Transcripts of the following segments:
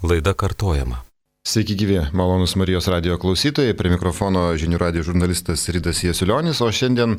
Laida kartojama. Sveiki gyvi, malonus Marijos radijo klausytojai, prie mikrofono žinių radijo žurnalistas Rytas Jasiulionis, o šiandien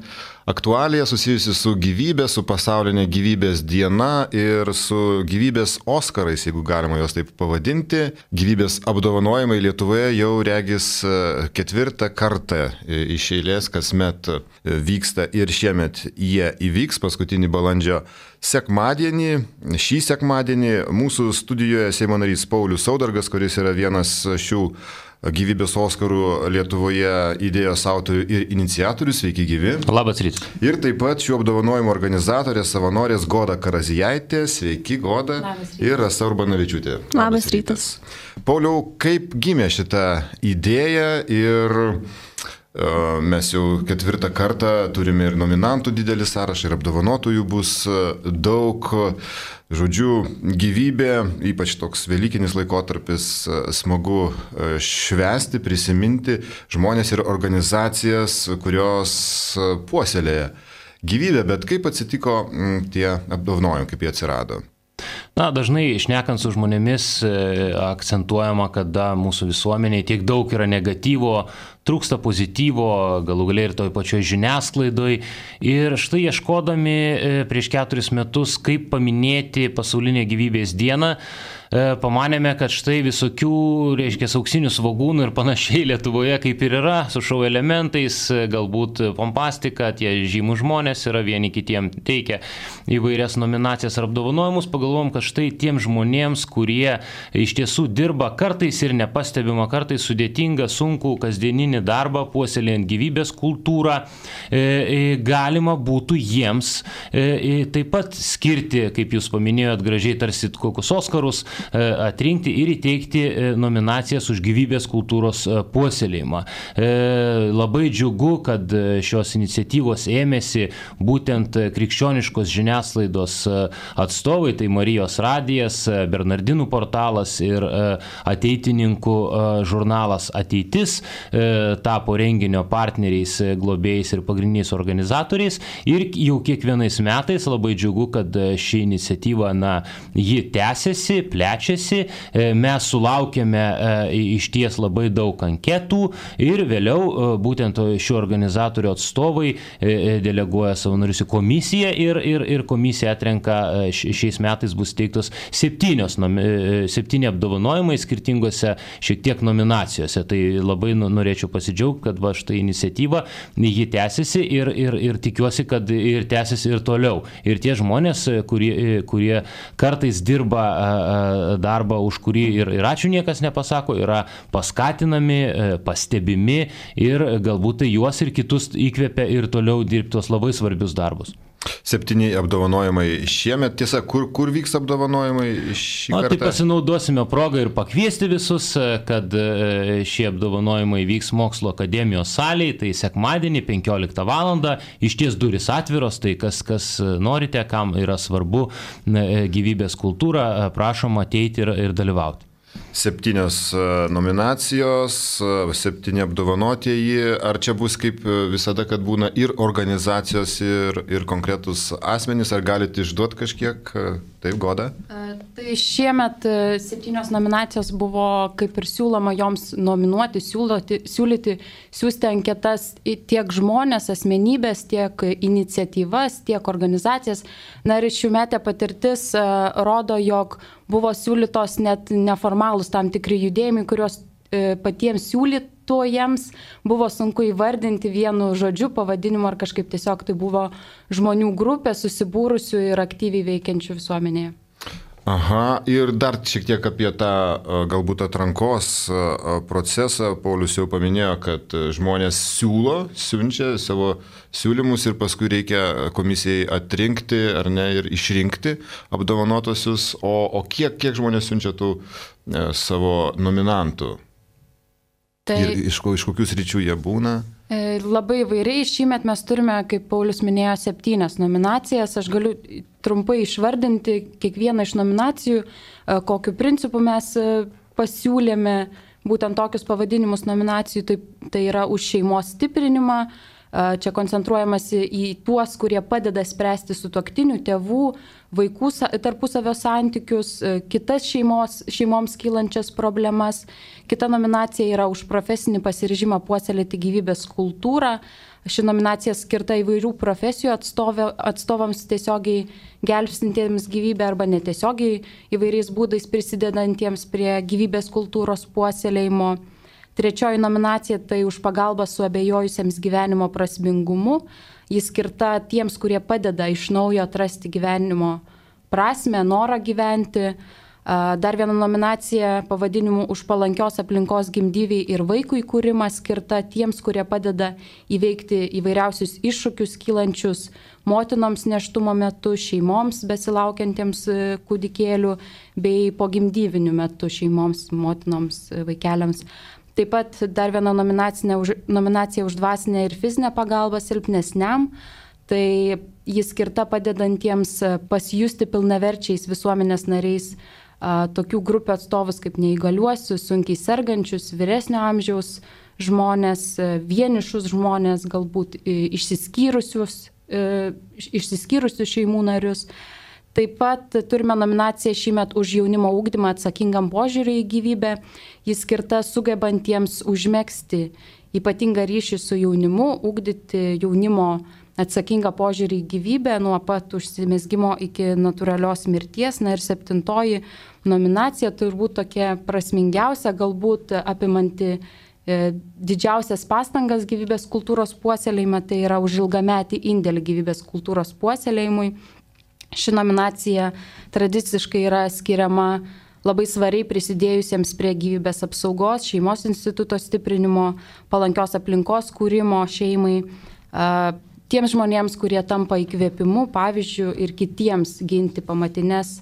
aktualija susijusi su gyvybė, su pasaulinė gyvybės diena ir su gyvybės Oskarais, jeigu galima juos taip pavadinti. Gyvybės apdovanojimai Lietuvoje jau regis 4. kartą iš eilės kasmet vyksta ir šiemet jie įvyks paskutinį balandžio sekmadienį. Šį sekmadienį mūsų studijoje Seimo narys Paulius Saudargas, kuris yra vienas šių gyvybės Oskarų Lietuvoje idėjos autorių ir iniciatorių. Sveiki gyvi. Labas rytas. Ir taip pat šių apdovanojimų organizatorė, savanorės Goda Karazijaitė. Sveiki Goda. Ir Rasa Urbanavičiūtė. Labas rytas. Pauliau, kaip gimė šita idėja ir mes jau 4. kartą turime ir nominantų didelį sąrašą, ir apdovanotųjų bus daug. Žodžiu, gyvybė, ypač toks velykinis laikotarpis, smagu švęsti, prisiminti žmonės ir organizacijas, kurios puoselėja gyvybę, bet kaip atsitiko tie apdovanojimai, kaip jie atsirado? Dažnai šnekant su žmonėmis akcentuojama, kad mūsų visuomeniai tiek daug yra negatyvo, trūksta pozityvo, galų galiai ir toj pačioj žiniasklaidoj. Ir štai ieškodami prieš 4 metus, kaip paminėti pasaulinę gyvybės dieną, pamanėme, kad štai visokių, auksinių svogūnų ir panašiai Lietuvoje kaip ir yra, su šou elementais, galbūt pompastika, tie žymų žmonės yra vieni kitiem teikia įvairias nominacijas ar apdovanojimus. Pagalvom, kad štai tiem žmonėms, kurie iš tiesų dirba kartais ir nepastebima, kartais sudėtingą, sunkų, kasdieninį darbą, puoselėjant gyvybės kultūrą, galima būtų jiems taip pat skirti, kaip jūs paminėjot, gražiai tarsi kokius Oskarus, atrinkti ir įteikti nominacijas už gyvybės kultūros puoselėjimą. Labai džiugu, kad šios iniciatyvos ėmėsi būtent krikščioniškos žiniasklaidos atstovai, tai Marijos radijas, Bernardinų portalas ir ateitininkų žurnalas Ateitis tapo renginio partneriais, globėjais ir pagrindiniais organizatoriais. Ir jau kiekvienais metais labai džiugu, kad ši iniciatyva, ji tęsiasi, plečiasi. Mes sulaukėme iš ties labai daug anketų ir vėliau būtent šių organizatorių atstovai deleguoja savanorius į komisiją ir komisija atrenka, šiais metais bus teiktos 7 apdovanojimai skirtingose šiek tiek nominacijose. Tai labai norėčiau pasidžiaugti, kad štai iniciatyva, ji tęsiasi ir tikiuosi, kad ir tęsiasi ir toliau. Ir tie žmonės, kurie kartais dirba darbą, už kurį ir ačiū niekas nepasako, yra paskatinami, pastebimi ir galbūt tai juos ir kitus įkvepia ir toliau dirbti tuos labai svarbius darbus. 7 apdovanojimai šiemet. Tiesa, kur vyks apdovanojimai šį kartą? Tai pasinaudosime progą ir pakviesti visus, kad šie apdovanojimai vyks Mokslo akademijos salėje, tai sekmadienį 15 val. Iš ties durys atviros, tai kas norite, kam yra svarbu gyvybės kultūra, prašom ateiti ir dalyvauti. 7 nominacijos, 7 apdovanotieji. Ar čia bus kaip visada, kad būna ir organizacijos, ir konkretus asmenys, ar galite išduoti kažkiek? Taip, Goda? Tai šiemet 7 nominacijos buvo kaip ir siūloma joms nominuoti, siūlyti, siūsti anketas tiek žmonės, asmenybės, tiek iniciatyvas, tiek organizacijas. Ir šiųmetė patirtis rodo, jog buvo siūlytos net neformalūs tam tikri judėjimai, kurios patiems siūlytojams buvo sunku įvardinti vienu žodžiu, pavadinimu ar kažkaip tiesiog tai buvo žmonių grupė susibūrusių ir aktyviai veikiančių visuomenėje. Aha, ir dar šiek tiek apie tą galbūt atrankos procesą. Paulius jau paminėjo, kad žmonės siunčia savo siūlymus ir paskui reikia komisijai atrinkti ar ne ir išrinkti apdovanotosius. O kiek žmonės siunčia tų savo nominantų? Tai ir iš kokių sričių jie būna? Labai įvairiai. Šįmet mes turime, kaip Paulius minėjo, 7 nominacijas. Aš galiu trumpai išvardinti kiekvieną iš nominacijų, kokiu principu mes pasiūlėme būtent tokius pavadinimus nominacijų. Tai yra už šeimos stiprinimą, Čia koncentruojamasi į tuos, kurie padeda spręsti sutuoktinių, tėvų, vaikų tarpusavio santykius, kitas šeimoms kylančias problemas. Kita nominacija yra už profesinį pasiryžimą puoselėti gyvybės kultūrą. Ši nominacija skirta įvairių profesijų atstovams tiesiogiai gelbstintiems gyvybę arba netiesiogiai įvairiais būdais prisidedantiems prie gyvybės kultūros puoselėjimo. Trečioji nominacija tai už pagalbą suabejojusiems gyvenimo prasmingumu. Jis skirta tiems, kurie padeda iš naujo atrasti gyvenimo prasmę, norą gyventi. Dar viena nominacija pavadinimu už palankios aplinkos gimdyviai ir vaikų įkūrimą skirta tiems, kurie padeda įveikti įvairiausius iššūkius kylančius motinoms nėštumo metu, šeimoms besilaukiantiems kūdikėlių bei pogimdyviniu metu šeimoms, motinoms, vaikeliams. Taip pat dar viena nominacija už dvasinę ir fizinę pagalbą silpnesniam. Tai jis skirta padedantiems pasijusti pilnaverčiais visuomenės nariais tokių grupių atstovus kaip neįgaliuosius, sunkiai sergančius, vyresnio amžiaus žmonės, vienišus žmonės, galbūt išsiskyrusius šeimų narius. Taip pat turime nominaciją šįmet už jaunimo ugdymą atsakingam požiūriui į gyvybę. Jis skirta sugebantiems užmegzti ypatingą ryšį su jaunimu, ugdyti jaunimo atsakingą požiūrį į gyvybę nuo pat užsimezgimo iki natūralios mirties. Na ir 7. nominacija turbūt tokia prasmingiausia, galbūt apimanti didžiausias pastangas gyvybės kultūros puoselėjime, tai yra už ilgametį indėlį gyvybės kultūros puoselėjimui. Ši nominacija tradiciškai yra skiriama labai svariai prisidėjusiems prie gyvybės apsaugos, šeimos instituto stiprinimo, palankios aplinkos kūrimo šeimai, tiems žmonėms, kurie tampa įkvėpimu, pavyzdžiu ir kitiems ginti pamatinės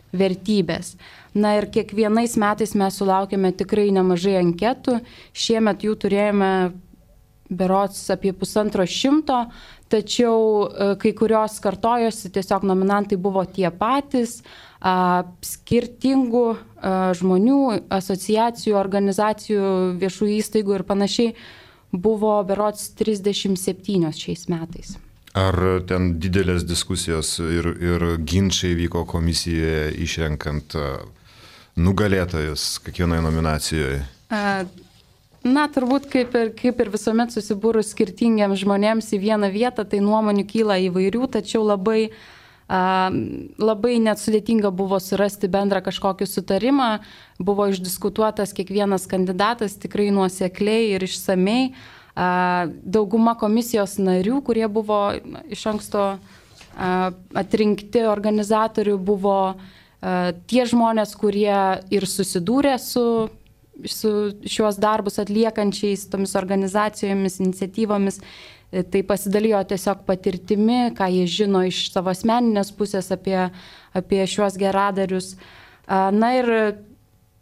vertybės. Na ir kiekvienais metais mes sulaukėme tikrai nemažai anketų. Šiemet jų turėjome berods apie 150, tačiau kai kurios kartojosi, tiesiog nominantai buvo tie patys, skirtingų žmonių, asociacijų, organizacijų, viešų įstaigų ir panašiai buvo berods 37 šiais metais. Ar ten didelės diskusijos ir ginčiai vyko komisijoje išrenkant nugalėtojus kiekvienoje nominacijoje? Na, turbūt kaip ir visuomet susibūrus skirtingiams žmonėms į vieną vietą, tai nuomonių kyla įvairių, tačiau labai net sudėtinga buvo surasti bendrą kažkokį sutarimą. Buvo išdiskutuotas kiekvienas kandidatas tikrai nuosekliai ir išsamei. Dauguma komisijos narių, kurie buvo iš anksto atrinkti organizatorių, buvo tie žmonės, kurie ir susidūrė su šiuos darbus atliekančiais tomis organizacijomis, iniciatyvomis. Tai pasidalijo tiesiog patirtimi, ką jie žino iš savo asmeninės pusės apie šiuos geradarius. Na ir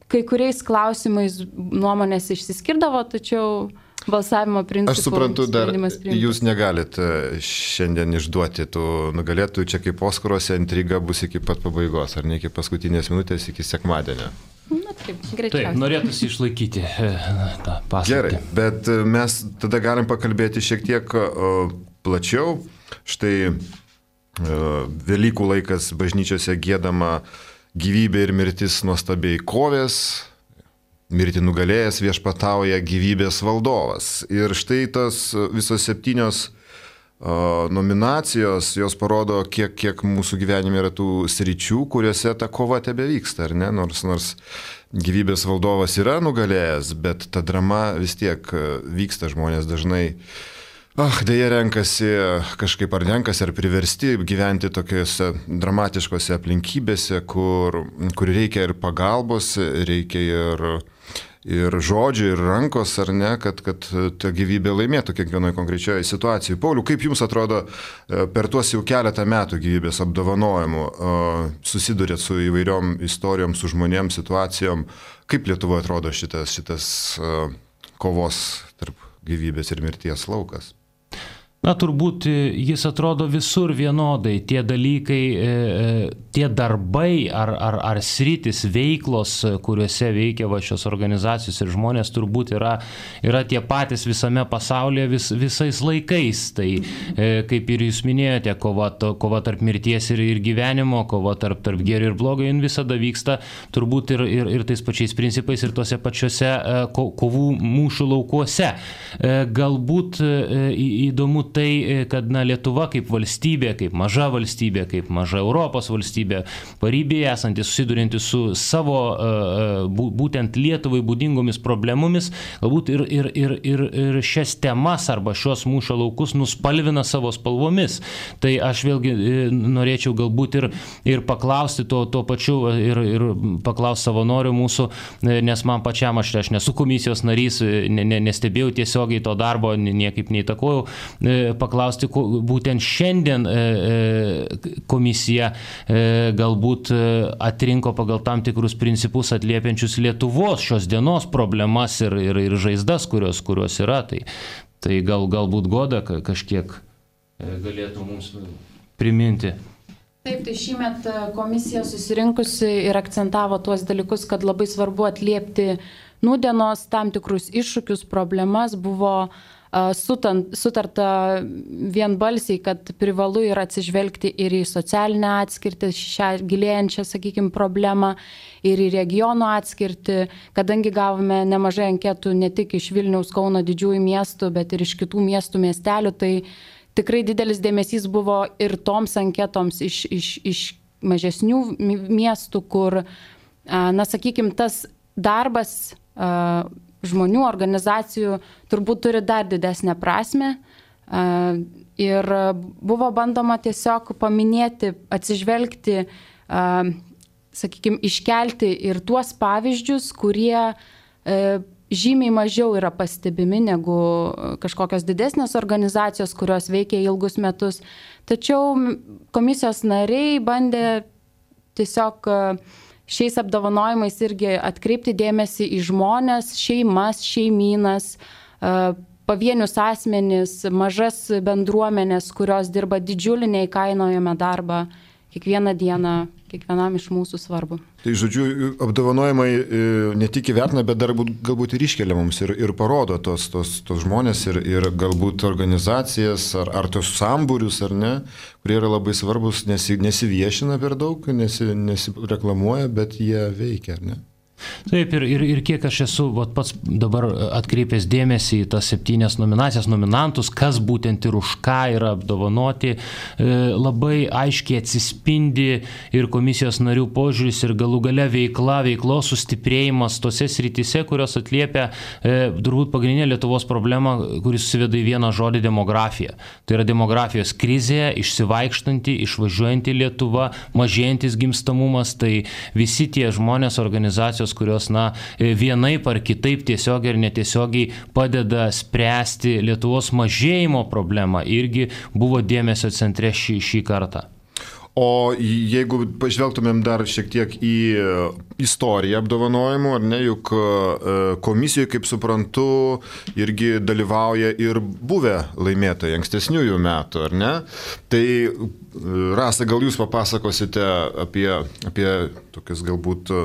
kai kuriais klausimais nuomonės išsiskirdavo, tačiau balsavimo principų. Aš suprantu, dar jūs negalit šiandien išduoti tų nugalėtojų, čia kaip Oskaruose intriga bus iki pat pabaigos, ar ne iki paskutinės minutės, iki sekmadienio. Na taip, greičiausiai. Taip, norėtųsi išlaikyti tą paslaptį. Gerai, bet mes tada galim pakalbėti šiek tiek plačiau. Štai Velykų laikas bažnyčiose giedama gyvybė ir mirtis nuostabiai kovės, mirtį nugalėjęs viešpatauja gyvybės valdovas. Ir štai tos visos 7 nominacijos, jos parodo, kiek mūsų gyvenime yra tų sričių, kuriuose ta kova tebe vyksta, ar ne? Nors gyvybės valdovas yra nugalėjęs, bet ta drama vis tiek vyksta, žmonės dažnai dėja renkasi kažkaip ar priversti gyventi tokiose dramatiškose aplinkybėse, kur reikia ir pagalbos, reikia ir žodžių, ir rankos, ar ne, kad ta gyvybė laimėtų kiekvienoje konkrečioje situacijoje. Pauliau, kaip jums atrodo, per tuos jau keletą metų gyvybės apdovanojimų susidurėt su įvairiom istorijom, su žmonėm, situacijom, kaip Lietuvoje atrodo šitas kovos tarp gyvybės ir mirties laukas? Na, turbūt jis atrodo visur vienodai. Tie dalykai, tie darbai ar sritis, veiklos, kuriuose veikia šios organizacijos ir žmonės, turbūt yra tie patys visame pasaulyje visais laikais. Tai, kaip ir jūs minėjote, kova tarp mirties ir gyvenimo, kova tarp gėrio ir blogio, jin visada vyksta turbūt ir tais pačiais principais ir tose pačiose kovų mūšių laukuose. Galbūt įdomu tai, kad Lietuva kaip valstybė, kaip maža Europos valstybė, paribėje esanti, susidurinti su savo būtent Lietuvai būdingomis problemomis, galbūt ir šias temas arba šios mūšio laukus nuspalvina savo spalvomis. Tai aš vėlgi norėčiau galbūt ir paklausti to pačiu ir paklausti savanorių mūsų, nes man pačiam aš nesu komisijos narys, nestebėjau tiesiogiai to darbo, niekaip neįtakojau, paklausti, būtent šiandien komisija galbūt atrinko pagal tam tikrus principus atliepiančius Lietuvos šios dienos problemas ir žaizdas, kurios yra. Tai galbūt Goda kažkiek galėtų mums priminti. Taip, tai šįmet komisija susirinkusi ir akcentavo tuos dalykus, kad labai svarbu atliepti nūdienos tam tikrus iššūkius, problemas. Buvo sutarta vienbalsiai, kad privalu yra atsižvelgti ir į socialinę atskirtį, šią gilėjančią, sakykime, problemą, ir į regionų atskirtį, kadangi gavome nemažai anketų ne tik iš Vilniaus, Kauno didžiųjų miestų, bet ir iš kitų miestų, miestelių, tai tikrai didelis dėmesys buvo ir toms anketoms iš mažesnių miestų, kur, sakykime, tas darbas žmonių, organizacijų turbūt turi dar didesnę prasme. Ir buvo bandoma tiesiog paminėti, atsižvelgti, sakykime, iškelti ir tuos pavyzdžius, kurie žymiai mažiau yra pastebimi negu kažkokios didesnės organizacijos, kurios veikia ilgus metus. Tačiau komisijos nariai bandė tiesiog šiais apdovanojimais irgi atkreipti dėmesį į žmonės, šeimas, šeimynas, pavienius asmenis, mažas bendruomenės, kurios dirba didžiulį neįkainojamą darbą kiekvieną dieną, kiekvienam iš mūsų svarbu. Tai žodžiu, apdovanojimai ne tik įvertina, bet dar galbūt ir iškelia mums ir parodo tos žmonės ir galbūt organizacijas ar tos sambūrius, ar ne, kurie yra labai svarbus, nesiviešina per daug, nesireklamuoja, bet jie veikia, ar ne? Taip, ir kiek aš esu pats dabar atkreipęs dėmesį į tas 7 nominacijas, nominantus, kas būtent ir už ką yra apdovanoti, labai aiškiai atsispindi ir komisijos narių požiūris ir galų gale veiklos sustiprėjimas tose srityse, kurios atliepia turbūt pagrindinę Lietuvos problemą, kuris susiveda į vieną žodį — demografija. Tai yra demografijos krizė, išsivaikštanti, išvažiuojanti Lietuva, mažėjantis gimstamumas, tai visi tie žmonės, organizacijos, kurios vienaip ar kitaip tiesiogiai ir netiesiogiai padeda spręsti Lietuvos mažėjimo problemą, irgi buvo dėmesio centre šį kartą. O jeigu pažvelgtumėm dar šiek tiek į istoriją apdovanojimų, ar ne, juk komisijoje, kaip suprantu, irgi dalyvauja ir buvę laimėtojai ankstesniųjų metų, ar ne? Tai Rasa, gal jūs papasakosite apie tokias galbūt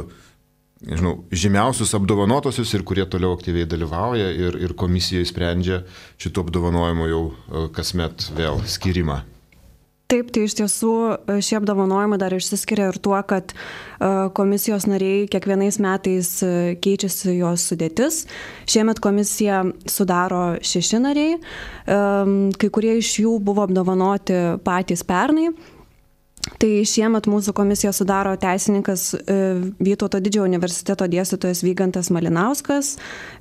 žymiausius apdovanotosius ir kurie toliau aktyviai dalyvauja ir komisija sprendžia šitų apdovanojimų jau kasmet vėl skirimą. Taip, tai iš tiesų šie apdovanojimai dar išsiskiria ir tuo, kad komisijos nariai kiekvienais metais keičiasi jos sudėtis. Šiemet komisiją sudaro 6 nariai, kai kurie iš jų buvo apdovanoti patys pernai. Tai šiemet mūsų komisiją sudaro teisininkas Vytauto didžiojo universiteto dėstytojas Vygantas Malinauskas,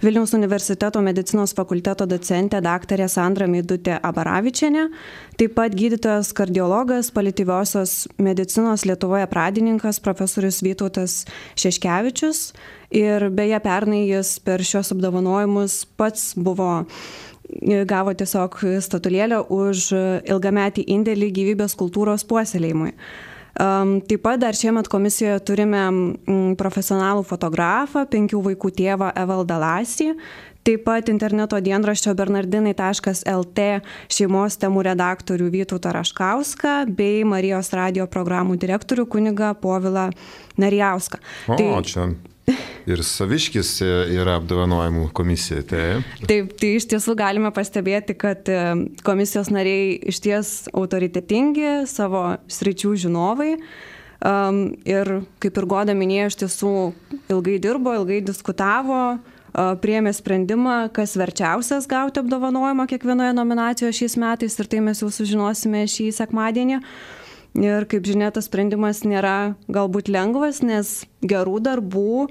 Vilniaus universiteto medicinos fakulteto docentė daktarė Sandra Meidutė Abaravičienė, taip pat gydytojas kardiologas, paliatyviosios medicinos Lietuvoje pradininkas profesorius Vytautas Šeškevičius. Ir beje, pernai jis per šios apdovanojimus pats gavo tiesiog statulėlę už ilgametį indėlį gyvybės kultūros puoselėjimui. Taip pat dar šiemet komisijoje turime profesionalų fotografą, 5 vaikų tėvą Evaldą Lasį. Taip pat interneto dienraščio bernardinai.lt šeimos temų redaktorių Vytautą Raškauską bei Marijos radijo programų direktorių kunigą Povilą Narijauską. Čia ir Saviškis yra apdovanojimų komisija. Taip, tai iš tiesų galime pastebėti, kad komisijos nariai iš ties autoritetingi, savo sričių žinovai. Ir kaip ir Goda minėjo, iš tiesų ilgai dirbo, ilgai diskutavo, priėmė sprendimą, kas verčiausias gauti apdovanojimą kiekvienoje nominacijoje šiais metais, ir tai mes jau sužinosime šį sekmadienį. Ir kaip žinia, tas sprendimas nėra galbūt lengvas, nes gerų darbų,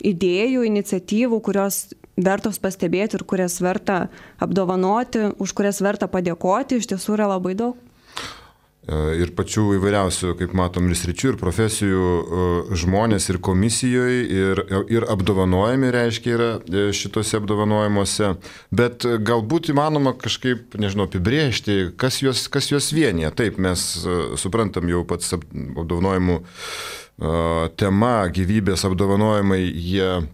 idėjų, iniciatyvų, kurios vertos pastebėti ir kurias verta apdovanoti, už kurias verta padėkoti, iš tiesų yra labai daug. Ir pačių įvairiausių, kaip matom, ir sričių, ir profesijų žmonės ir komisijoje, ir apdovanojami, reiškia, yra šitose apdovanojimuose. Bet galbūt įmanoma kažkaip, nežinau, apibrėžti, kas juos vienyje. Taip, mes suprantam jau pats apdovanojimų tema, gyvybės apdovanojimai, jie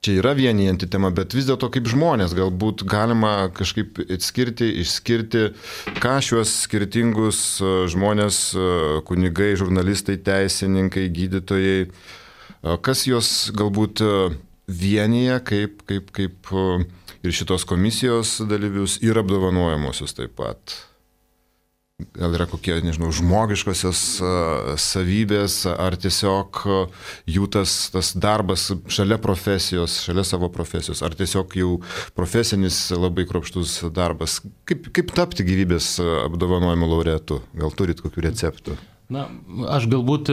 čia yra vienijanti tema, bet vis dėlto kaip žmonės galbūt galima kažkaip išskirti, ką šiuos skirtingus žmonės, kunigai, žurnalistai, teisininkai, gydytojai, kas juos galbūt vienyje, kaip ir šitos komisijos dalyvius, ir apdovanojimuosius taip pat. Gal yra kokie, nežinau, žmogiškosios savybės, ar tiesiog jų tas darbas šalia profesijos, šalia savo profesijos, ar tiesiog jau profesinis labai kruopštus darbas. Kaip tapti gyvybės apdovanojimų laureatu? Gal turit kokių receptų? Na, aš galbūt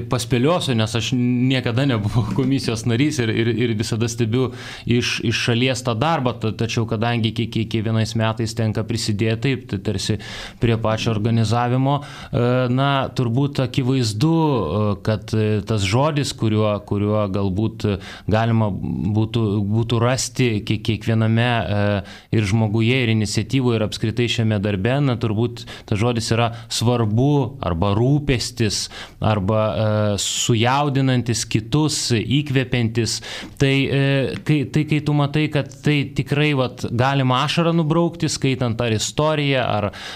paspėliosiu, nes aš niekada nebuvau komisijos narys ir visada stebiu iš šalies tą darbą, tačiau kadangi kiekvienais metais tenka prisidėti, tai tarsi prie pačio organizavimo, na, turbūt akivaizdu, kad tas žodis, kuriuo galbūt galima būtų rasti kiekviename ir žmoguje, ir iniciatyvoje, ir apskritai šiame darbe, na, turbūt tas žodis yra svarbu arba rūpestis arba sujaudinantis kitus, įkvepiantis. Tai kai tu matai, kad tai tikrai galima ašarą nubraukti, skaitant ar istoriją,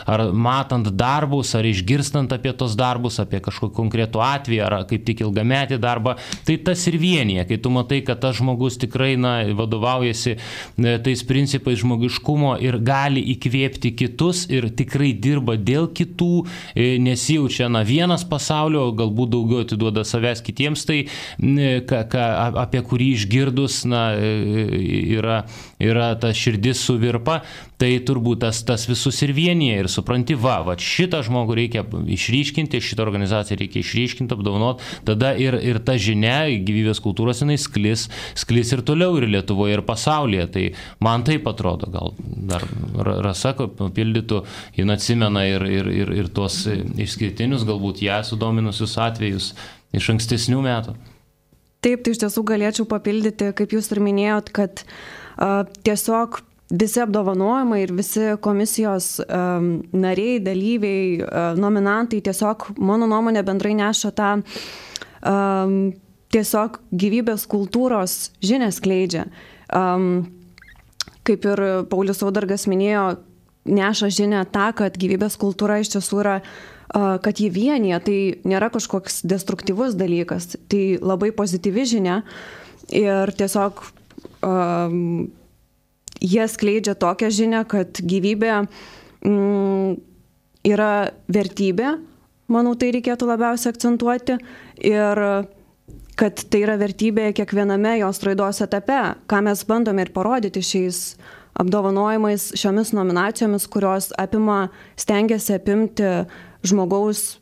ar matant darbus, ar išgirstant apie tos darbus, apie kažkokį konkretų atvejį, ar kaip tik ilgametį darbą, tai tas ir vienyje. Kai tu matai, kad tas žmogus tikrai vadovaujasi tais principais žmogiškumo ir gali įkvėpti kitus ir tikrai dirba dėl kitų, nesijaučia vienas pasaulio, galbūt daugiau atiduoda savęs kitiems, tai apie kurį išgirdus yra ta širdis suvirpa, tai turbūt tas visus ir vienyje ir supranti, šitą žmogų reikia išryškinti, šitą organizaciją reikia išryškinti, apdovanoti, tada ir ta žinia gyvybės kultūros jinai sklis ir toliau ir Lietuvoje, ir pasaulyje. Tai man taip atrodo, gal dar Rasa papildytų, jin atsimena ir tuos išskirtinius, galbūt ją sudominusius atvejus iš ankstesnių metų. Taip, tai iš tiesų galėčiau papildyti, kaip jūs ir minėjot, kad tiesiog visi apdovanojimai ir visi komisijos nariai, dalyviai, nominantai tiesiog, mano nuomonė, bendrai neša tą tiesiog gyvybės kultūros žinią skleidžia. Kaip ir Paulius Saudargas minėjo, neša žinią tą, kad gyvybės kultūra iš tiesų yra, kad jį vienyje, tai nėra kažkoks destruktyvus dalykas, tai labai pozityvi žinia ir tiesiog jie skleidžia tokią žinią, kad gyvybė yra vertybė, manau, tai reikėtų labiausiai akcentuoti, ir kad tai yra vertybė kiekviename jos raidos etape, ką mes bandome ir parodyti šiais apdovanojimais, šiomis nominacijomis, kurios stengiasi apimti žmogaus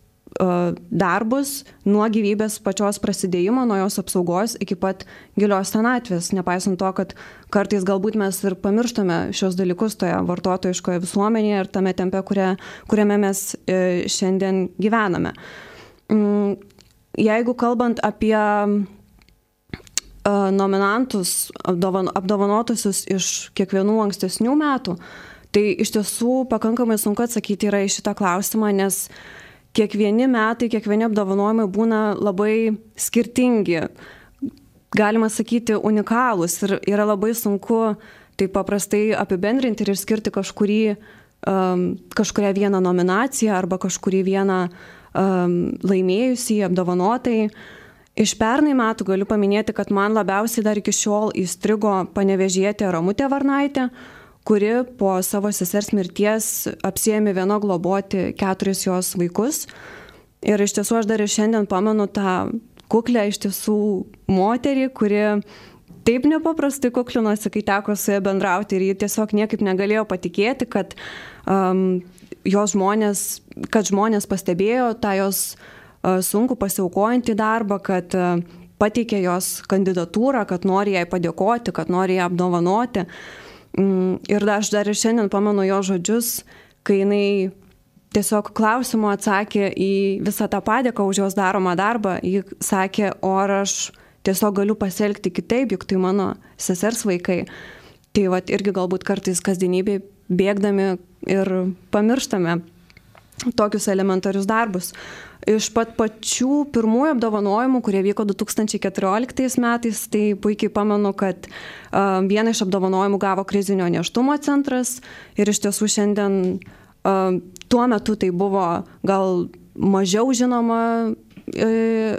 darbus nuo gyvybės pačios prasidėjimo, nuo jos apsaugos iki pat gilios senatvės, nepaisant to, kad kartais galbūt mes ir pamirštame šios dalykus toje vartotojiškoje visuomenėje ir tame tempe, kuriame mes šiandien gyvename. Jeigu kalbant apie nominantus, apdovanotusius iš kiekvienų ankstesnių metų, tai iš tiesų pakankamai sunku atsakyti yra į šitą klausimą, nes kiekvieni metai, kiekvieni apdovanojimai būna labai skirtingi. galima sakyti, unikalūs ir yra labai sunku taip paprastai apibendrinti ir išskirti kažkurią vieną nominaciją arba kažkurį vieną laimėjusį, apdovanotai. Iš pernai metų galiu paminėti, kad man labiausiai dar iki šiol įstrigo panevėžietė Ramutė Varnaitė, kuri po savo sesers mirties apsiėmė viena globoti 4 jos vaikus. Ir iš tiesų aš dar ir šiandien pamenu tą kuklę iš tiesų moterį, kuri taip nepaprastai kuklinosi, kai teko su ja bendrauti ir ji tiesiog niekaip negalėjo patikėti, kad žmonės pastebėjo tą jos sunku pasiaukojantį darbą, kad pateikė jos kandidatūrą, kad nori jai padėkoti, kad nori ją apdovanoti. Ir aš dar ir šiandien pamenu jo žodžius, kai jinai tiesiog klausimu atsakė į visą tą padėką už jos daromą darbą. Ji sakė, o ar aš tiesiog galiu pasielgti kitaip, juk tai mano sesers vaikai. Tai vat irgi galbūt kartais kasdienybėj bėgdami ir pamirštame tokius elementarius darbus. Iš pačių pirmųjų apdovanojimų, kurie vyko 2014 metais, tai puikiai pamenu, kad vieną iš apdovanojimų gavo krizinio nėštumo centras ir iš tiesų šiandien tuo metu tai buvo gal mažiau žinoma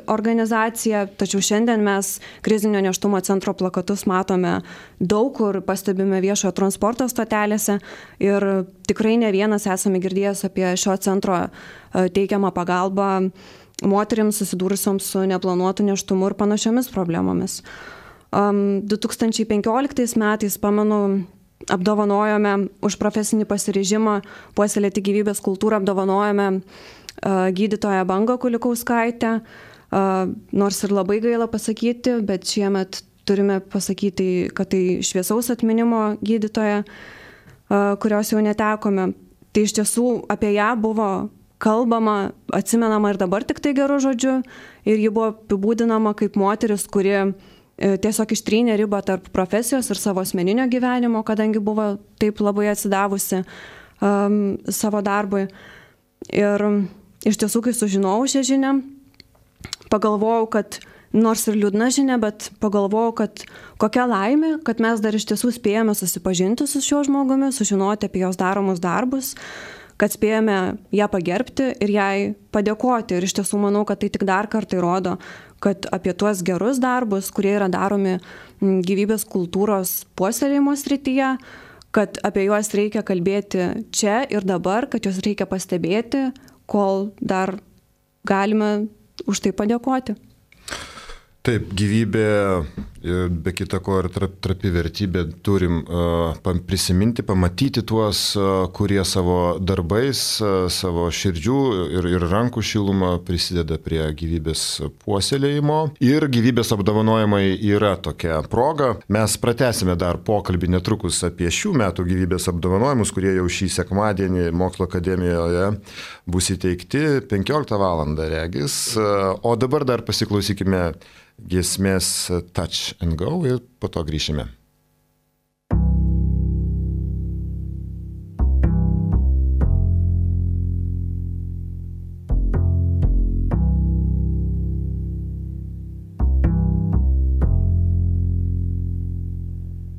organizacija, tačiau šiandien mes krizinio nėštumo centro plakatus matome daug kur, pastebime viešojo transporto stotelėse ir tikrai ne vienas esame girdėjęs apie šio centro teikiamą pagalbą moterims susidūrusioms su neplanuotu nėštumu ir panašiomis problemomis. 2015 metais, pamenu, apdovanojome už profesinį pasiryžimą puoselėti gyvybės kultūrą, apdovanojome gydytoją Bangą Kulikauskaitę, nors ir labai gaila pasakyti, bet šiemet turime pasakyti, kad tai šviesaus atminimo gydytoja, kurios jau netekome. Tai iš tiesų apie ją buvo kalbama, atsimenama ir dabar tik tai gerų žodžių ir ji buvo apibūdinama kaip moteris, kuri tiesiog ištrynė ribą tarp profesijos ir savo asmeninio gyvenimo, kadangi buvo taip labai atsidavusi savo darbui. Ir iš tiesų, kai sužinojau šią žinią, pagalvojau, kad nors ir liūdna žinia, bet pagalvojau, kad kokia laimė, kad mes dar iš tiesų spėjame susipažinti su šiuo žmogumi, sužinoti apie jos daromus darbus, kad spėjame ją pagerbti ir jai padėkoti. Ir iš tiesų manau, kad tai tik dar kartą įrodo, kad apie tuos gerus darbus, kurie yra daromi gyvybės kultūros puoselėjimo srityje, kad apie juos reikia kalbėti čia ir dabar, kad juos reikia pastebėti, kol dar galime už tai padėkoti. Taip, gyvybė, be kita ko ir trapi vertybė, turim prisiminti, pamatyti tuos, kurie savo darbais, savo širdžių ir rankų šilumą prisideda prie gyvybės puoselėjimo. Ir gyvybės apdovanojimai yra tokia proga. Mes pratęsime dar pokalbį netrukus apie šių metų gyvybės apdovanojimus, kurie jau šį sekmadienį Mokslo akademijoje bus įteikti 15 valandą regis. O dabar dar pasiklausykime giesmės Touch and Go ir po to grįšime.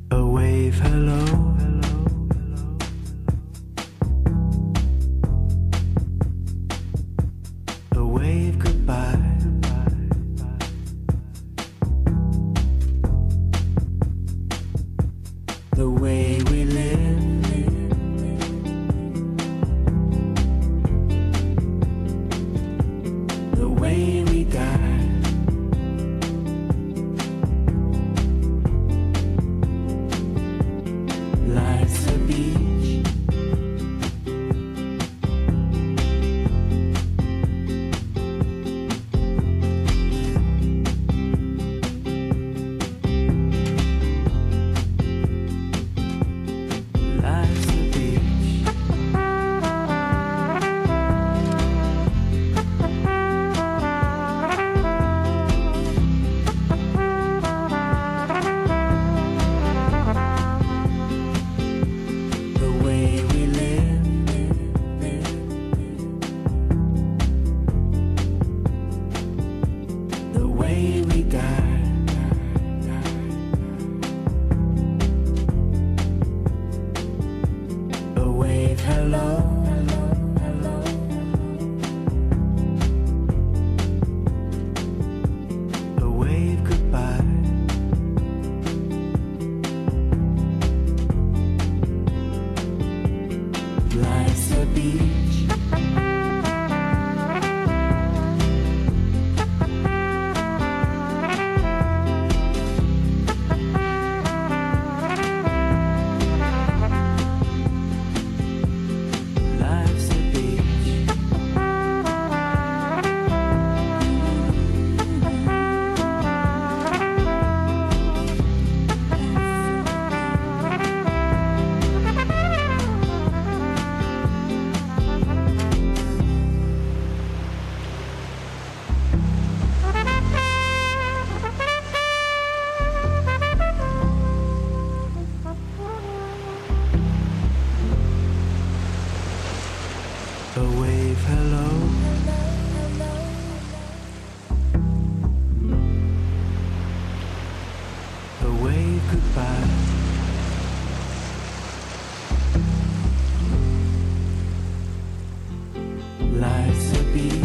A wave, hello. A wave, goodbye. The way we live, the way we die, life's a beach, a wave goodbye. Life's a beach.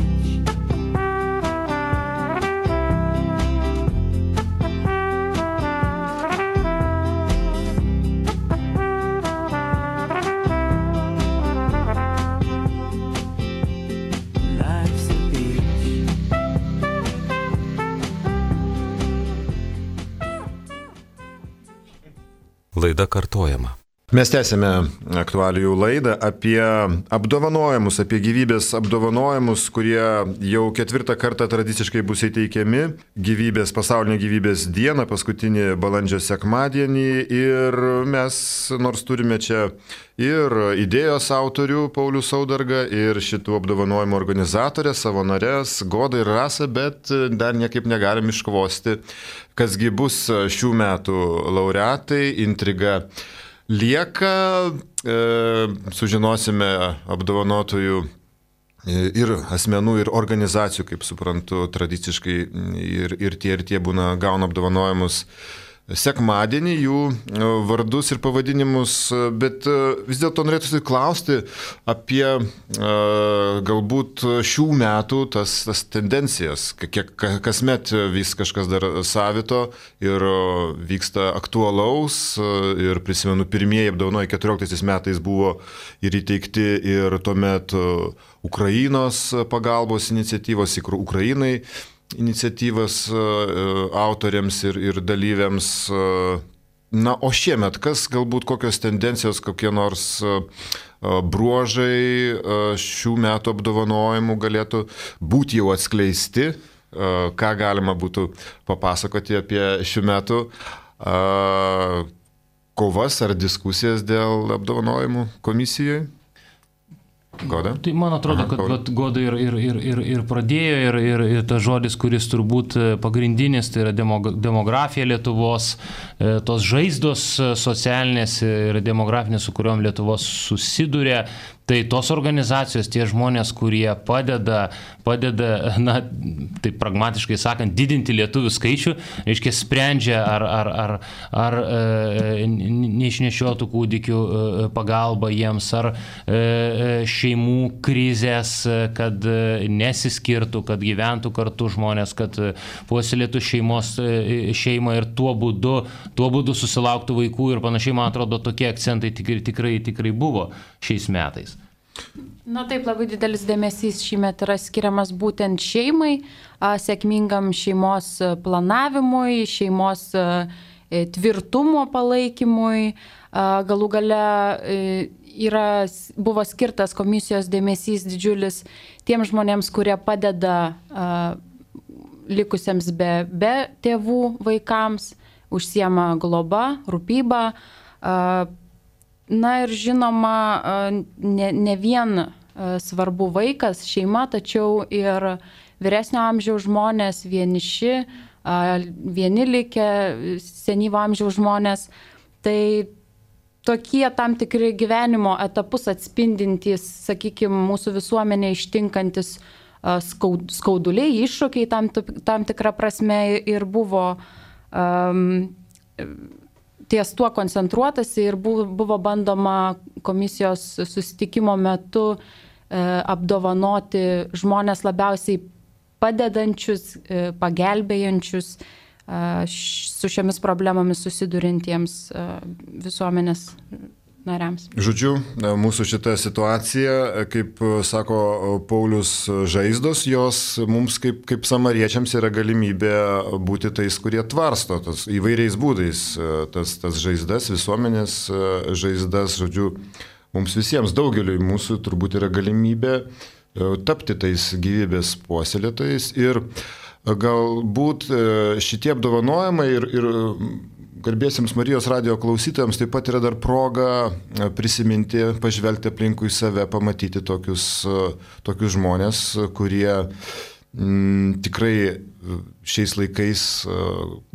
Life's a beach. Laida kartojama. Mes tęsime aktualijų laidą apie apdovanojimus, apie gyvybės apdovanojimus, kurie jau 4 kartą tradiciškai bus įteikiami pasaulinė gyvybės diena, paskutinį balandžio sekmadienį. Ir mes nors turime čia ir idėjos autorių Paulių Saudargą, ir šitų apdovanojimų organizatorę, savo narės Godą ir Rasą, bet dar niekaip negalim iškvosti, kasgi bus šių metų laureatai. Intriga lieka, sužinosime apdovanotųjų ir asmenų, ir organizacijų, kaip suprantu, tradiciškai ir tie būna gauna apdovanojimus sekmadienį, jų vardus ir pavadinimus, bet vis dėlto norėtųsi klausti apie galbūt šių metų tas tendencijas, kiek kasmet vis kažkas dar savito ir vyksta aktualaus, ir prisimenu, pirmieji apdovanojimai 14 metais buvo ir įteikti ir tuomet Ukrainos pagalbos iniciatyvos, Ukrainai iniciatyvas autoriams ir dalyviams. Na, o šiemet, kas galbūt kokios tendencijos, kokie nors bruožai šių metų apdovanojimų galėtų būti jau atskleisti, ką galima būtų papasakoti apie šių metų kovas ar diskusijas dėl apdovanojimų komisijoje? Goda? Tai man atrodo, kad Goda ir pradėjo, ir tas žodis, kuris turbūt pagrindinis, tai yra demografija Lietuvos, tos žaizdos socialinės ir demografinės, su kuriuom Lietuvos susiduria. Tai tos organizacijos, tie žmonės, kurie padeda, na, taip pragmatiškai sakant, didinti lietuvių skaičių, reiškia, sprendžia ar neišnešiotų kūdikių pagalba jiems, ar šeimų krizės, kad nesiskirtų, kad gyventų kartu žmonės, kad puoselėtų šeimą ir tuo būdu susilauktų vaikų ir panašiai. Man atrodo, tokie akcentai tikrai buvo šiais metais. Na taip, labai didelis dėmesys šįmet yra skiriamas būtent šeimai, sėkmingam šeimos planavimui, šeimos tvirtumo palaikymui. Galų gale buvo skirtas komisijos dėmesys didžiulis tiem žmonėms, kurie padeda likusiems be tėvų vaikams, užsiema globa, rūpyba. Na ir žinoma, ne vien svarbu vaikas, šeima, tačiau ir vyresnio amžiaus žmonės, vieniši, vieni likę, senyvo amžiaus žmonės. Tai tokie tam tikri gyvenimo etapus atspindintys, sakykime, mūsų visuomenė ištinkantis skauduliai, iššūkiai tam tikrą prasme ir buvo ties tuo koncentruotasi ir buvo bandoma komisijos susitikimo metu apdovanoti žmonės labiausiai padedančius, pagelbėjančius su šiomis problemomis susidurintiems visuomenės nariams. Žodžiu, mūsų šita situacija, kaip sako Paulius, žaizdos, jos mums kaip samariečiams yra galimybė būti tais, kurie tvarsto tas įvairiais būdais tas žaizdas, visuomenės žaizdas. Žodžiu, mums visiems, daugeliui mūsų turbūt yra galimybė tapti tais gyvybės puoselėtojais ir galbūt šitie apdovanojimai ir garbėsiams Marijos radijo klausytojams taip pat yra dar proga prisiminti, pažvelgti aplinkui save, pamatyti tokius žmonės, kurie tikrai šiais laikais,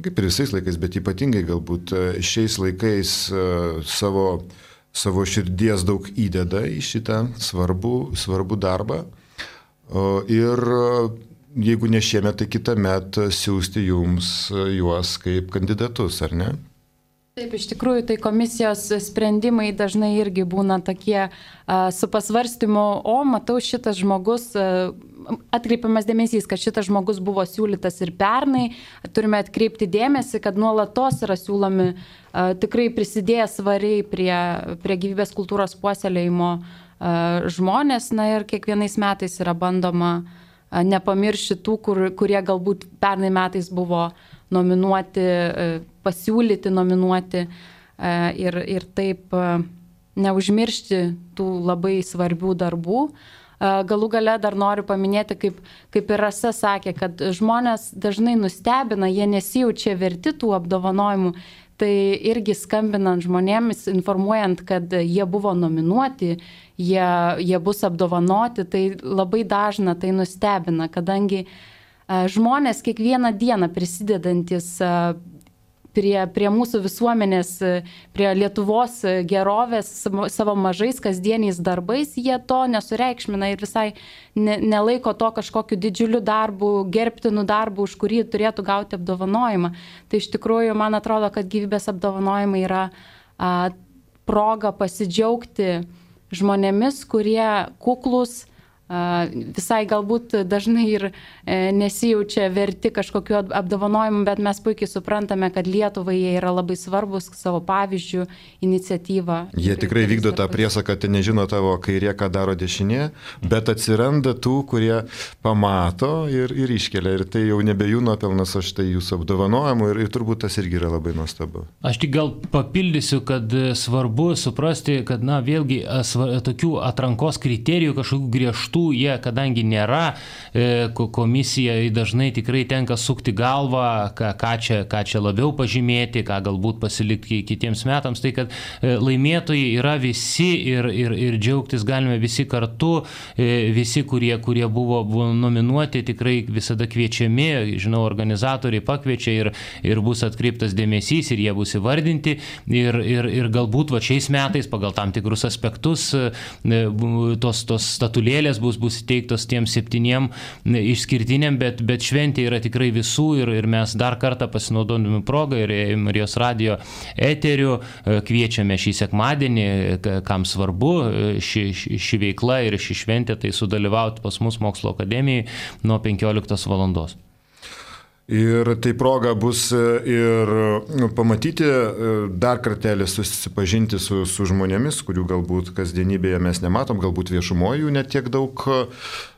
kaip ir visais laikais, bet ypatingai galbūt šiais laikais savo širdies daug įdeda į šitą svarbų darbą. Ir jeigu ne šiemet, tai kitą metą siūsti jums juos kaip kandidatus, ar ne? Taip, iš tikrųjų, tai komisijos sprendimai dažnai irgi būna tokie su pasvarstymu, matau, šitas žmogus, atkreipiamas dėmesys, kad šitas žmogus buvo siūlytas ir pernai, turime atkreipti dėmesį, kad nuolatos yra siūlomi tikrai prisidėję svariai prie gyvybės kultūros puoselėjimo žmonės, ir kiekvienais metais yra bandoma nepamiršti tų, kurie galbūt pernai metais buvo nominuoti, pasiūlyti nominuoti ir taip neužmiršti tų labai svarbių darbų. Galų gale dar noriu paminėti, kaip ir Rasa sakė, kad žmonės dažnai nustebina, jie nesijaučia verti tų apdovanojimų. Tai irgi skambinant žmonėmis, informuojant, kad jie buvo nominuoti, jie bus apdovanoti, tai labai dažna tai nustebina, kadangi žmonės kiekvieną dieną prisidedantis prie mūsų visuomenės, prie Lietuvos gerovės savo mažais kasdieniais darbais, jie to nesureikšmina ir visai nelaiko to kažkokiu didžiuliu darbu, gerbtinu darbu, už kurį turėtų gauti apdovanojimą. Tai iš tikrųjų, man atrodo, kad gyvybės apdovanojimai yra proga pasidžiaugti žmonėmis, kurie kuklus, visai galbūt dažnai ir nesijaučia verti kažkokiu apdovanojimu, bet mes puikiai suprantame, kad Lietuvai jie yra labai svarbus savo pavyzdžių, iniciatyvą. Jie tikrai vykdo tą priesaką, kad nežino tavo kairė, ką daro dešinė, bet atsiranda tų, kurie pamato ir iškelia. Ir tai jau nebe jų nuopelnas, o štai jūsų apdovanojimų ir turbūt tas irgi yra labai nuostabu. Aš tik gal papildysiu, kad svarbu suprasti, kad, vėlgi, tokių atrankos kriterijų kažkokių griežtų jie, kadangi nėra, komisijai dažnai tikrai tenka sukti galvą, ką čia labiau pažymėti, ką galbūt pasilikti kitiems metams. Tai kad laimėtojai yra visi ir džiaugtis galime visi kartu, visi, kurie buvo nominuoti, tikrai visada kviečiami, žinau, organizatoriai pakviečia ir bus atkreiptas dėmesys ir jie bus įvardinti ir galbūt šiais metais pagal tam tikrus aspektus tos statulėlės bus įteiktos tiems 7 išskirtiniam, bet šventė yra tikrai visų ir mes dar kartą pasinaudodami progą ir Marijos radijo eteriu kviečiame šį sekmadienį, kam svarbu ši veikla ir ši šventė, tai sudalyvauti pas mus Mokslo akademijai nuo 15 valandos. Ir tai proga bus ir pamatyti, dar kartelį susipažinti su žmonėmis, kurių galbūt kasdienybėje mes nematom, galbūt viešumoje jų net tiek daug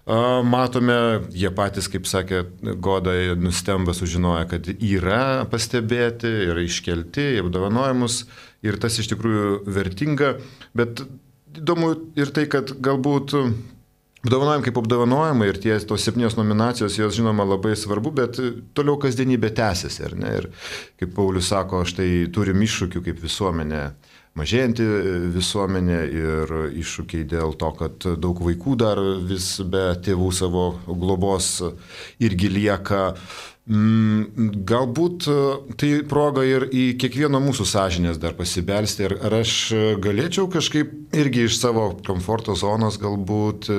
matome. Jie patys, kaip sakė Goda, nustemba sužinoję, kad yra pastebėti, yra iškelti į apdovanojimus ir tas iš tikrųjų vertinga. Bet įdomu ir tai, kad galbūt apdovanojimai kaip apdovanojimai ir tos 7 nominacijos, jos žinoma labai svarbu, bet toliau kasdienybė tęsiasi, ar ne? Ir kaip Paulius sako, štai turim iššūkių kaip visuomenė, mažėjanti visuomenė ir iššūkiai dėl to, kad daug vaikų dar vis be tėvų savo globos irgi lieka. Galbūt tai proga ir į kiekvieno mūsų sąžinės dar pasibelsti. Ar aš galėčiau kažkaip irgi iš savo komforto zonos galbūt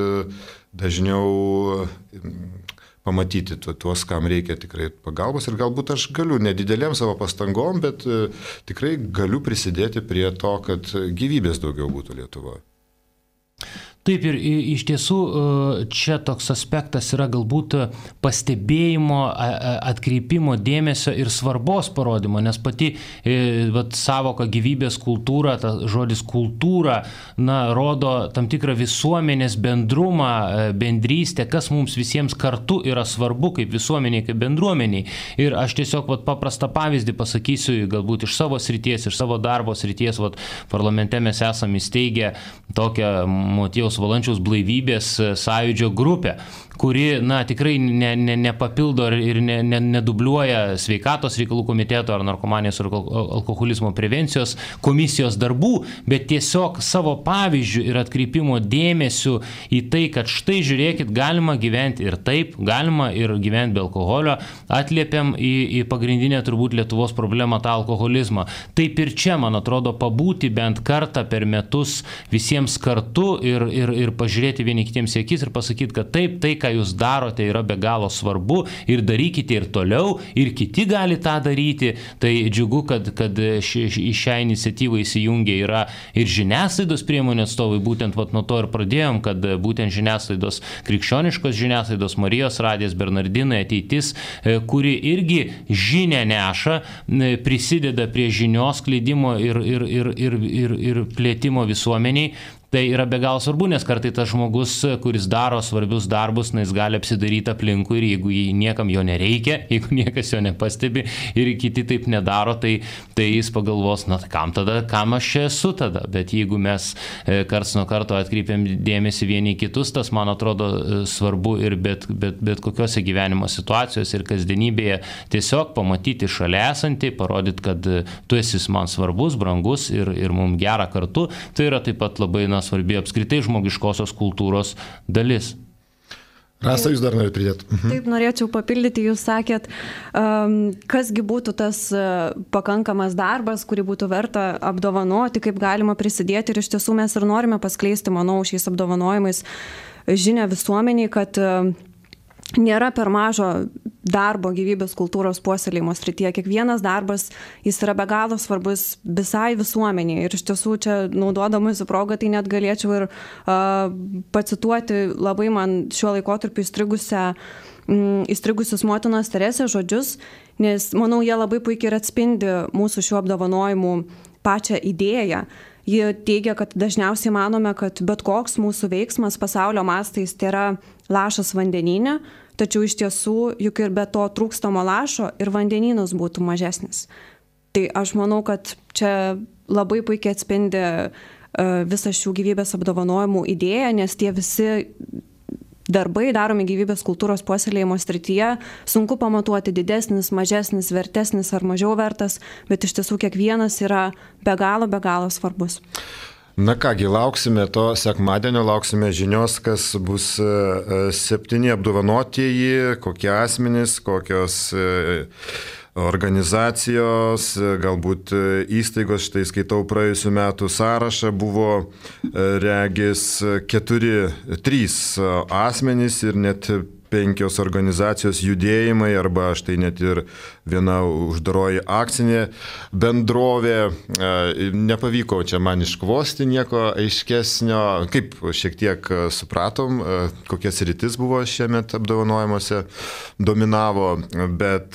dažniau pamatyti tuos, kam reikia tikrai pagalbos ir galbūt aš galiu nedidelėm savo pastangom, bet tikrai galiu prisidėti prie to, kad gyvybės daugiau būtų Lietuvoje. Taip ir iš tiesų čia toks aspektas yra galbūt pastebėjimo, atkreipimo dėmesio ir svarbos parodymo, nes pati savoka gyvybės kultūra, ta žodis kultūra, rodo tam tikrą visuomenės bendrumą, bendrystę, kas mums visiems kartu yra svarbu kaip visuomeniai, kaip bendruomeniai. Ir aš tiesiog paprastą pavyzdį pasakysiu, galbūt iš savo srities, iš savo darbo srities, parlamente mes esame įsteigę tokią Motiejaus Valančiaus blaivybės sąjūdžio grupę, kuri tikrai nepapildo ir nedubliuoja sveikatos reikalų komiteto ar narkomanijos ir alkoholizmo prevencijos komisijos darbų, bet tiesiog savo pavyzdžių ir atkreipimo dėmesiu į tai, kad štai žiūrėkit, galima gyventi ir taip, galima ir gyventi be alkoholio, atliepiam į pagrindinę turbūt Lietuvos problemą, tą alkoholizmą. Taip ir čia, man atrodo, pabūti bent kartą per metus visiems kartu ir ir pažiūrėti vieni kitiems į akis ir pasakyti, kad taip, tai, ką jūs darote, yra be galo svarbu ir darykite ir toliau, ir kiti gali tą daryti. Tai džiugu, kad į šią iniciatyvą įsijungia yra ir žiniasklaidos priemonių atstovai, būtent nuo to ir pradėjom, kad būtent žiniasklaidos, krikščioniškos žiniasklaidos, Marijos radijas, Bernardinai, Ateitis, kuri irgi žinią neša, prisideda prie žinios skleidimo ir plėtimo visuomeniai. Tai yra be galo svarbu, nes kartai tas žmogus, kuris daro svarbius darbus, jis gali apsidaryti aplinkui ir jeigu niekam jo nereikia, jeigu niekas jo nepastebi ir kiti taip nedaro, tai jis pagalvos, kam aš čia esu tada. Bet jeigu mes karts nuo karto atkreipiam dėmesį vieni kitus, tas man atrodo svarbu ir bet kokiose gyvenimo situacijose ir kasdienybėje tiesiog pamatyti šalia esantį, parodyti, kad tu esi man svarbus, brangus ir mums gera kartu. Tai yra taip pat labai svarbi apskritai žmogiškosios kultūros dalis. Rasa, jūs dar norite pridėti? Taip, norėčiau papildyti, jūs sakėt, kasgi būtų tas pakankamas darbas, kurį būtų verta apdovanoti, kaip galima prisidėti ir iš tiesų mes ir norime paskleisti, manau, šiais apdovanojimais žinią visuomeniai, kad nėra per mažo darbo gyvybės kultūros puoselėjimo srityje. Kiekvienas darbas, jis yra be galo svarbus visai visuomeniai. Ir iš tiesų čia, naudodamasi progą, tai net galėčiau ir pacituoti labai man šiuo laikotarpiu įstrigusius motinos Teresės žodžius, nes, manau, jie labai puikiai ir atspindi mūsų šių apdovanojimų pačią idėją. Ji teigia, kad dažniausiai manome, kad bet koks mūsų veiksmas pasaulio mastais tai yra lašas vandenyne, tačiau iš tiesų juk ir be to trūkstamo lašo ir vandenynas būtų mažesnis. Tai aš manau, kad čia labai puikiai atspindi visą šių gyvybės apdovanojimų idėją, nes tie visi darbai daromi gyvybės kultūros puoselėjimo srityje, sunku pamatuoti didesnis, mažesnis, vertesnis ar mažiau vertas, bet iš tiesų kiekvienas yra be galo svarbus. Na kągi, lauksime to sekmadienio, lauksime žinios, kas bus 7 apdovanotieji, kokie asmenys, kokios organizacijos, galbūt įstaigos. Štai skaitau praėjusių metų sąrašą, buvo regis 3 asmenys ir net 5 organizacijos judėjimai, arba štai net ir viena uždaroji akcinė bendrovė. Nepavyko čia man iškvosti nieko aiškesnio. Kaip šiek tiek supratom, kokias rytis buvo šiemet apdovanojimuose dominavo, bet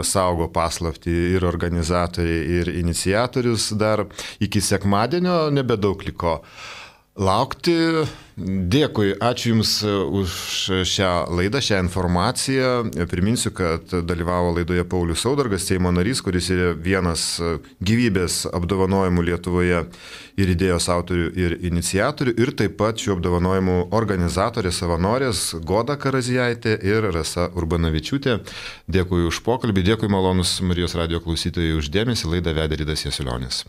saugo paslaptį ir organizatoriai, ir iniciatorius. Dar iki sekmadienio nebedaug liko laukti. Dėkui, ačiū Jums už šią laidą, šią informaciją. Priminsiu, kad dalyvavo laidoje Paulius Saudargas, Seimo narys, kuris yra vienas gyvybės apdovanojimų Lietuvoje ir idėjos autorių ir iniciatorių, ir taip pat šių apdovanojimų organizatorė, savanorės Goda Karazijaitė ir Rasa Urbanavičiūtė. Dėkui už pokalbį, dėkui malonus Marijos radijo klausytojai už dėmesį. Laidą vedė Ridas Jasulionis.